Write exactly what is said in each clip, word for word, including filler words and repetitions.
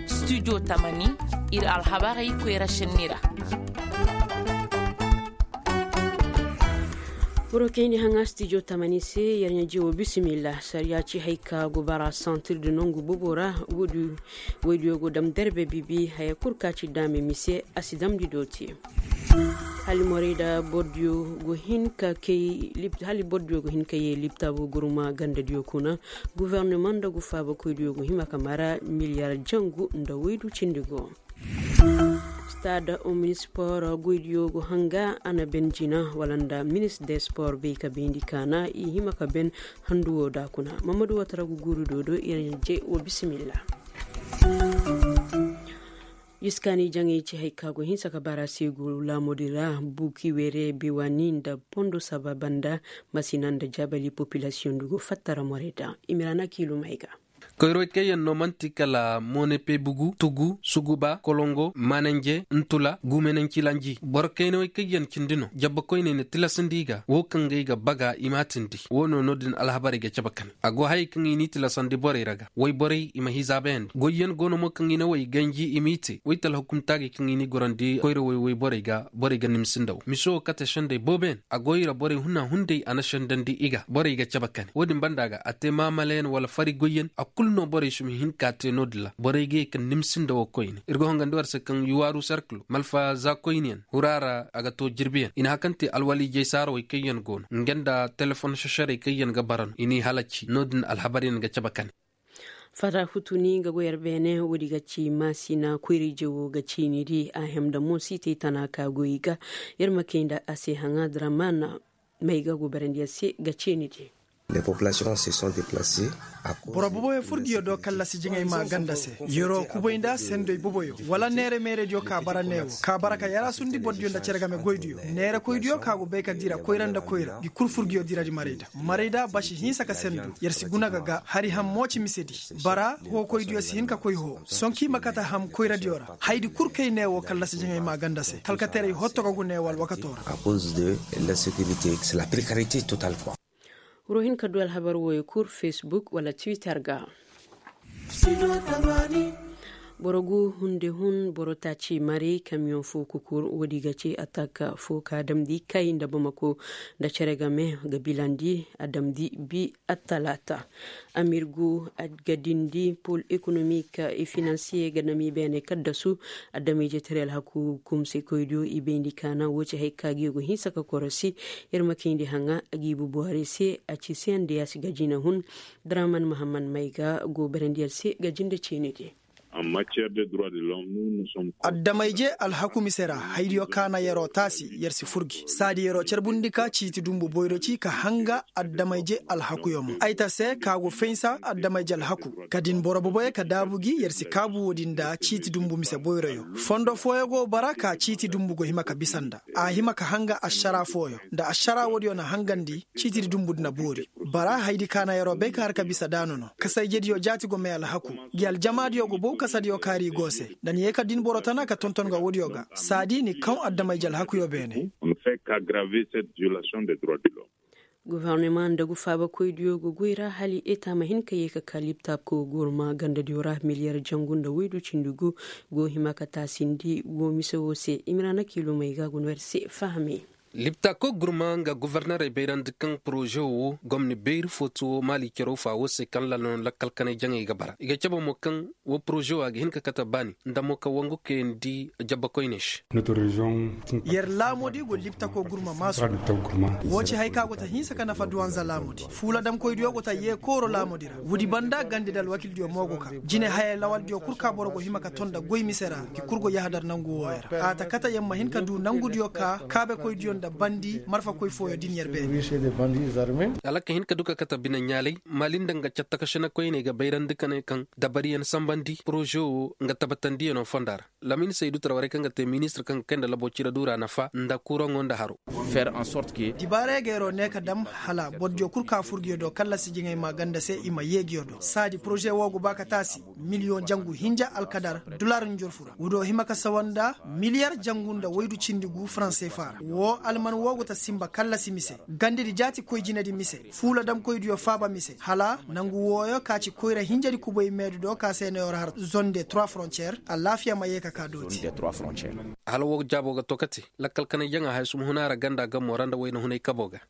Studio tamani, ir alhabarey koyra šenni ra. Boro kayni haŋa studio tamani se, yer ɲa jewo bisimilla sariya ci hay ka go bara santir di nongu bobo ra. Woydiyo go dam derbe bibi haya kul ka ci daame mise a si damndi dooti. Hali morey da bordiyo go hin ka kay hali bordiyo go hin ka ye libtabo gurma gandadiyo kuna. Guverneman nda gu faabakoydiyo go hima ka mara miliyar jangu nda woydu cindi go. Stade omnispor goydiyo go hanga a na ben jina wala nda minis de spor bay ka bayndi kaana i hima ka ben. Handuwo da kuna mamadu watara gu guuri dodo iraɲa je wo bisimilla. Iskaani jaŋay ci hay ka go hinsa ka bara seegu laamudi ra buki were bewani nda pondo saba banda. Masina nda jabali popilasiyoŋ ndu go fattara more da i ma ra na kiilumay ga. Koyroy kaŋ yaŋ no man'ti kala monepe bugu tugu suguba kolongo mananje ntula gumenancilanji boro kaynawey kaŋ yaŋ cindi no jabba koyney na tilasandi i ga wo kaŋ ga ay ga baga i ma a tindi wo no no-din alhabarey ga cabe kane a go hayey kaŋ i n'i tilasandi borey ra ga woy borey i ma hizaabayandi goyyaŋ go no mo kaŋ i na way ganji i m'i te woy talhakumtaagey kaŋ i n'i gorandi koyra woy woy borey ga borey ga nimsi nda wo mise wo kate sendey boobo yaŋ a go i ra borey huna hunday a na sendandi i ga borey ga cabe kane wo-din banda ga a te maamalayaŋ wala fari goyyaŋ a kulu no borey si ma hin ka te no-din ra borey ga ye ka nimsi nda wo koyne ir ga hongandi war se kaŋ yuwaaru serkilo malfa za koyne yaŋ hura ra a ga to jirbiyaŋ i na hakante alwaliijey saarawey kaŋ yaŋ go no nga nda telefon sesarey kaŋ yaŋ ga bara no i n'i halaci no-din alhabaryaŋ ga cabe kane. Fata hutuni nga go yer beene woodi ga ci maasina koyra-ije wo ga ciini di a hem nda mo si te tana ka go i ga yer ma kay nda a se haŋa draman may ga go barandi yer se ga ciini di. Boro boboyo furgiyo do kallasi jiŋay ma ganda se yeroo kubay nda sendoy boboyo wala neere meerediyo ka bara neewo ka bara ka yaraasundi bordiyo nda cere game goydiyo neerekoydiyo ka go bay ka dira koyra nda koyra gi kul furgiyo diradi marayda marayda basi hinsa ka sendu yer si guna ga ga hari ham mo ci misedi bara hookoydiyo si hin ka koy hoo sonki ma kate ham koyradiyo ra haydi kul kay neewo kallasi jiŋay ma ganda se talkaterey hotto ga gu neewo alwakato ra. Wuro hin ka du alhabar wooyo kul facebook wala twitter ga. Boro gu hunde hun boro taaci mari kamiyoŋ fo kukur woodi ga ci atak fo ka damndi kay nda bamako nda cere game ga bilandi a damndi bi attalaata. Amir gu a ga dindi pol ekonomik e finansiye ga nam i beene kaddasu adama-ije tare alhaku kumse koydiyo i bayndi kaana woo ci hay ka ga i go hinsa ka korosi. Yer ma kayndi haŋa a ga i bu buhari se a ci se nda yaasi ga jina hun draman mahammad may ga go barandi yer se ga jinde ciini di. Addamayje alhaku mise ra haydiyo kaana yer'o taasi yer si furgi saadi yer'o carbundi ka ciiti dumbu boyro ci ka hanga addamayje alhakuyo mo ay ta se ka go faynsa addamayje alhaku ka din boro boboyo ka daabu gi yer si kaabu woodi nda ciiti dumbu mise boyroyo fondo fooyo go bara ka ciiti dumbu go hima ka bisa nda a hima ka hanga ašara fooyo nda ašara woodiyo na hangandi ciitidi dumbu di na boori. Bara haydi kaana yer'o bay ka har ka bisa daanu no kasayjediyo jaati go may alhaku gi aljamaadiyo go bow kasadiyo kaari i go se nda ni ye ka din boro tana ka tonton ga woodiyo ga saadi ni kaw addamayje alhakuyo beene. Gofornama nda gu faabakoydiyo go goy ra hala eta ma hin ka ye ka ka liptako gurma gandadiyo ra miliyar jangu nda waydu cindi gu go hima ka taasindi wo mise wo se i ma ra na kiilumey ga go no yer se fahame. Liptako gurma nga gofornerey bayrandi kaŋ poroze wo gomni bayri footo wo maali caro fa wo se kaŋ lala no lakkal kanay jaŋey ga bara i ga cabe mo kaŋ wo poroze wo a ga hin ka kate baani nda mo ka wangu kayandi jabba koyney se. Yer laamudi go liptako gurma maasu. Wo ci hay ka go ta hinsa ka nafa duwanza laamudi fuula damkoydiyo go ta yee kooro laamudi ra woodi banda gandi nda alwakildiyo mo go ka jine hayey lawaldiyo kul ka boro go hima ka ton nda goy mise ra ki kul go yahadar nangu wooyo ra a ta kate yer ma hin ka du nangudiyo ka kaabekoydiyo nda bandi marfakoy fooyo din yer beene. Hala ka hin ka du ka kate bine ɲaalay maali nda nga cattakašinakoyney ga bayrandi ka ne kaŋ dabariyaŋ sambandi poroze wo nga tabatandiyano fonda ra. Lamin saydu tara warey kaŋ ga te ministir kaŋ ga kay nda labo cire duura nafa nda kuraŋo nda haro. Dibaarey ga yer'o ne ka dam hala bordiyo kul ka fur giyo do kallasi jiŋay ma ganda se i ma yee giyo do saadi poroze wo go ba ka taasi miliyoŋ jangu hinja alkadar dulaar njorfu ra woodiyo hima ka sawa nda miliyar jangu nda waydu cindi gu faranse fa ra wo. Alman woo go ta sinba kallasi mise, gandedi jaati koy jinedi mise, fuula damkoydiyo faaba mise hala nangu wooyo ka ci koyra hinjadi kubay meedu do ka se no yer har zone de trois frontières alaafiya ma yee ka ka dooti. Hala woo jaabo ga to ka te lakkal kanay jaŋa haya suma huna ra ganda gamo ra nda wayna hunay kabo ga.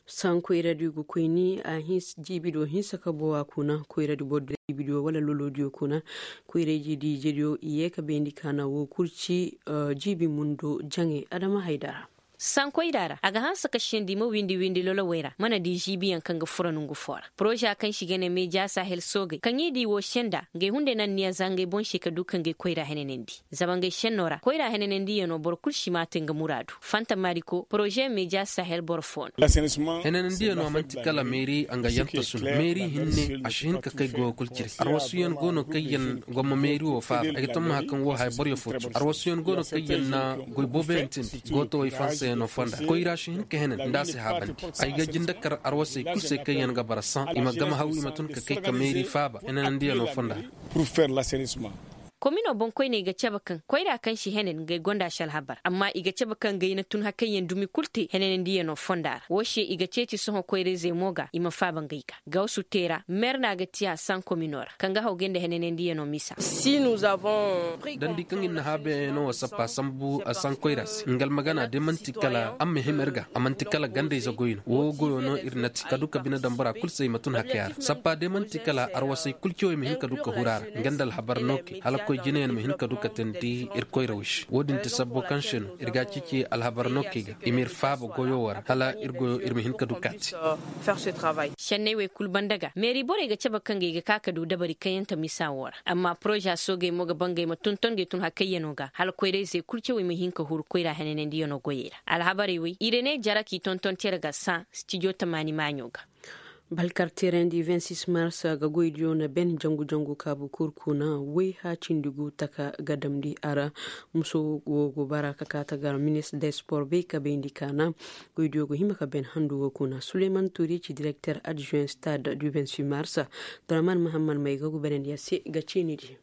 Sankoyradiyo ga koyni a hinsa jiibidiyo hinsa ka bowa kuna koyradi bordiyo jiibidiyo wala lolodiyo kuna. Koyrayji di ijediyo i yee ka bayndi kaana woo kul ci jiibi mundo jaŋay adama haydara. Sankoyra ra a ga hanse ka sendi ma windi windi lolowey ra mana di ziibiyaŋ kaŋ ga fura nongu foo ra poroza kaŋ se i ga ne meeja sahel soogey kaŋ i di woo senda ngey hunday na anniya za ngey boŋ se ka du ka ngey koyra henanandi. Zama ngey senno ra koyra henanandiyanoo boro kul si maate nga muraadu fanta mariko poroze meeja sahel boro foo no. Henanandiyanoo man'ti kala meeri nga yanta suna meeri hinne a si hin ka kay goyo kul cire arwasuyaŋ go no kaŋ yaŋ gomma meeri woo faaba ay ga tammaha kaŋ woo haya boroyo foo tu arwasuyaŋ go no kaŋ yaŋ na goy booboyaŋ tindi gootowey fansayaŋo fonda koyra si hin ka henan nda a si haabandi. Ay ga jinde kar arwasey kul se kaŋ yaŋ ga bara saŋ i ma gama haw i ma tun ka kay ka meeri faaba henanandiyaŋo fonda ra. Komino boŋkoyney ga cabe kaŋ koyra kaŋ si henen ngey gonda si alhabar amma i ga cabe kaŋ ngey na tun hakayyaŋ dumi kul te henanandiyaŋo fonda ra woo se i ga ceeci sohõ koyrayzey mo ga i ma faaba ngey ga gawsu te ra mer no a ga tiya saŋ komino ra kaŋ ga hawgay nda henanandiyaŋo misa. Dandi kaŋ ir na haabayaŋo wa sappa sambu a saŋ koyra se nga almagana de man'ti kala a ma hima ir ga a man'ti kala gandayze goy no woo goyo no ir na ti ka du ka bine daŋ bora kul se i ma tun hakaya ra sappa de man'ti kala arwasey kul cawey ma hin ka du ka huru a ra nga nda alhabar nookey hala koy jinayaŋ ma hin ka du ka teendi ir koyrawey se woo din ti sabbo kaŋ se no ir ga a ceeci alhabar nookey ga i ma ir faaba goyo woo ra hala ir goyo ir ma hin ka du ka a te. Senney wey kul banda ga meeri borey ga cabe kaŋ ga i ga ka ka du dabari kaŋ yaŋ ka misa woo ra amma poroza soogey mo ga bangay ma tonton ga i tun hakayyaŋo ga hala koyrayzey kul cawey ma hin ka huru koyra henanandiyaŋo goyey ra alhabarey wey i rene jara k'i tonton cere ga saŋ stijo tamaani maaɲo ga. Balkar terendi vingt six mars ga goydiyo na ben jangu jangu kaabu kul kuna woy haacindi gu taka ga damndi a ra. Muso wo go bara ka kaa ta gar ministre de sport bay ka bayndi kaana goydiyo go hima ka ben handu wo kuna suleyman turi ci direkter adjuwen stade du vingt six mars. Draman mahammad may ga gubarandiya se ga ciinidi.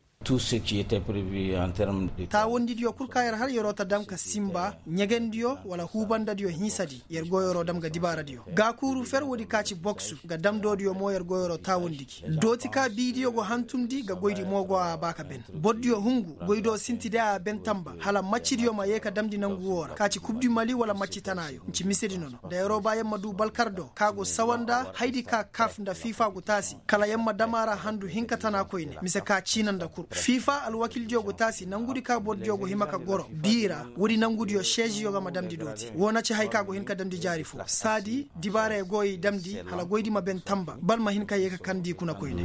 Taawandidiyo kul ka yer har yeroo ta dam ka simba ɲegendiyo wala huubandadiyo hinsadi yer go yeroo dam ga dibaaradiyo gaakuuru fer woodi ka ci boksu ga damdoodiyo mo yer go yeroo taawandi gi dooti ka biidiyo go hantumndi ga goydi mo go a ba ka ben bordiyo hungu goy do sinti day a ben tamba hala maccidiyo ma yee ka damndi nangu woo ra ka ci kub du mali wala macci tanaayo nci misedi nono nda yeroo baayaŋ ma duu balkar do ka go sawa nda haydi ka kaf nda fiifa go taasi kala yer ma dam a ra handu hinka tana koyne mise ka ciina nda kur fiifa alwakildiyo go taasi nangudi ka bordiyo go hima ka goro bii ra woodi nangudiyo seeziyo ga ma damndi dooti woo na ci haya ka go hin ka damndi jaari fo saadi dibaarey go i damndi hala goydi ma ben tamba bal ma hin ka yee ka kandi kuna koyne.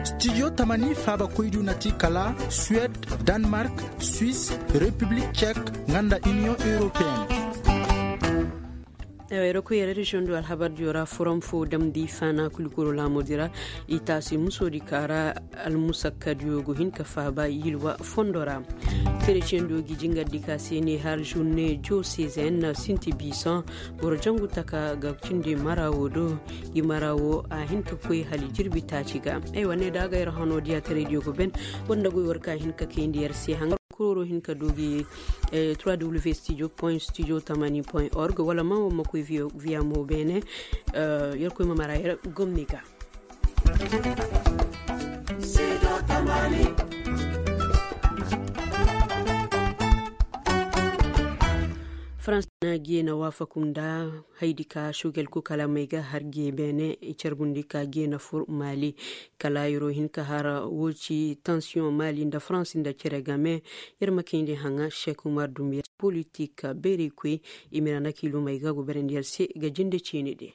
Stijo tamani faabakoydiyo na ti kala suwed, danmark, swis, repiblik cek, nga nda iniyoŋ europeen. Ay ra koy yara reziyoŋ do alhabardiyo ra forom fo damndi faana kulikoro laamoodi ra i taasi musoodi ka ra almusakkadiyo go hin ka faaba yilwa fondo ra. Kereciyeŋ do gi jingardi ka se ne har zurne josezen sinti biisoŋ boro jangu taka ga cindi mara wo do. Gi mara wo a hin ka koy hala jirbi taaci ga ay wane da a ga yer hano diya taraydiyo ga ben. War nda goy war ka hin ka kayndi yer se hangar kororo hin ka du gi trois w studio point studio tamani point org wala ma war ma koy viya mo beene. Yer koy ma mara yer gomni ga. Farans na geena waafaku nda haydi ka sugel ku kala may ga har gee beene i carbundi ka geena fur maali. Kala yeroo hin ka har woo ci tansiyoŋ maali nda farans nda cere game. Yer ma kayndi haŋa sek umar dumbiya politik beerey koy. I ma yer a nakiilu may ga go berandi yer se ga jinde ciini de.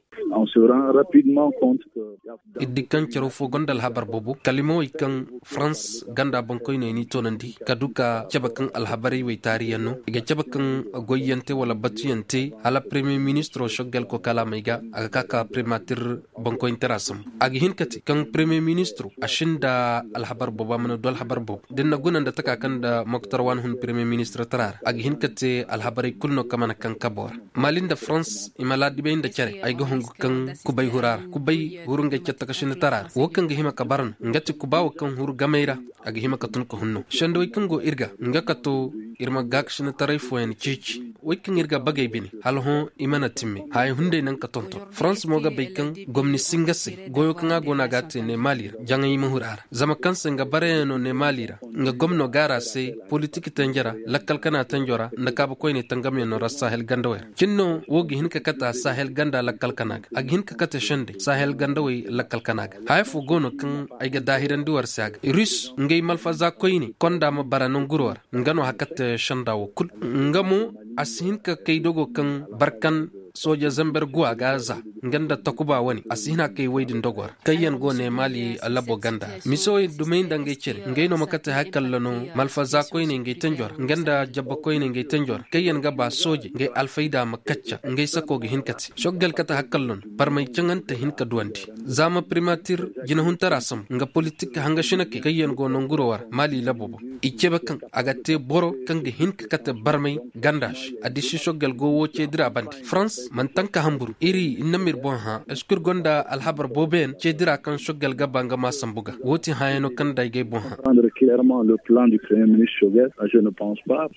Ir di kaŋ caro fo gonda alhabar boobo kalimawey kaŋ farans ganda boŋkoyney n'i toonandi ka du ka cabe kaŋ alhabarey wey taariyaŋ no i ga cabe kaŋ goyyaŋ te wala batuyaŋ te hala premiyer ministiro soggel ko kalaamey ga a ga ka ka primatir boŋkoyntara sambu a ga hin ka te kaŋ premiyer ministiro a sinda alhabar boobo a mana du alhabar boobo da ni na guna nda taka kaŋ nda moktar waani hun premiyer ministir tara ra a ga hin ka te alhabarey kulu no kaŋ mana kaŋ kabo ra. Mali nda farans i ma laadibay nda care ay ga hun. Kaŋ kubay hura ra kubay huru ngey catta ka sinda tara ra wo kaŋ ga hima ka bara no nga ti kuba wo kaŋ huru gamay ra. A ga hima ka tun ka hunno sendawey kaŋ go ir ga nga ka to ir ma gaakasinataray fooyaŋ ceeci. Wey kaŋ ir ga bagey bine hala hõ i mana timme haya hunday naŋ ka tonton farans mo ga bay kaŋ gomni si nga se goyo kaŋ a go no a ga a te ne maali ra jaŋay ma huru a ra zama kaŋ se nga barayano ne maali ra. Nga gomno gaara se politik tenjera lakkal kana tenjora nda kaabakoyney tangamyaŋ no ra sahel gandawey ra cin no wo ga hin ka kate a sahel ganda lakkal kana ga a ga hin ka kate sendey sahel gandawey lakkal kana ga haya fo go no kaŋ ay ga daahirandi war se a ga rus ngey malfaza koyne konda ma bara nanguro ra. Nga no haka te sanda wo kul nga mo a si hin ka kay dogo kaŋ barkan sooja zamber guwa ga za nga nda takuba wane a si hin a kay woy din dogo ra kaŋ yaŋ go ne maali labo ganda ra mise woy dumey nda ngey cere ngey no ma kate hakalla no malfaza koyne ngey tenjo ra nga nda jabba koyne ngey tenjo ra kaŋ yaŋ ga ba sooje ngey alfayda ma kacca ngey sako ga hin ka te soggal kate hakalla no barmay caŋante hin ka duwandi. Za ma primatir jinahuntara sambu nga politik hanga sinakey kaŋ yaŋ go nanguro war maali labo boŋ i cebe kaŋ a ga te boro kaŋ ga hin ka kate barmay ganda se. Addisi soggal go wo ceedira bande farans mana tanka hamburu iri ir na m'ir boŋ hã eskur gonda alhabar booboyaŋ ceedira kaŋ soggal ga ba nga ma sambu ga wo ti hãyaŋo kaŋ nda ay g'ay boŋ hã. Prendre clairement le plan du premier ministre soggal je ne pense pas.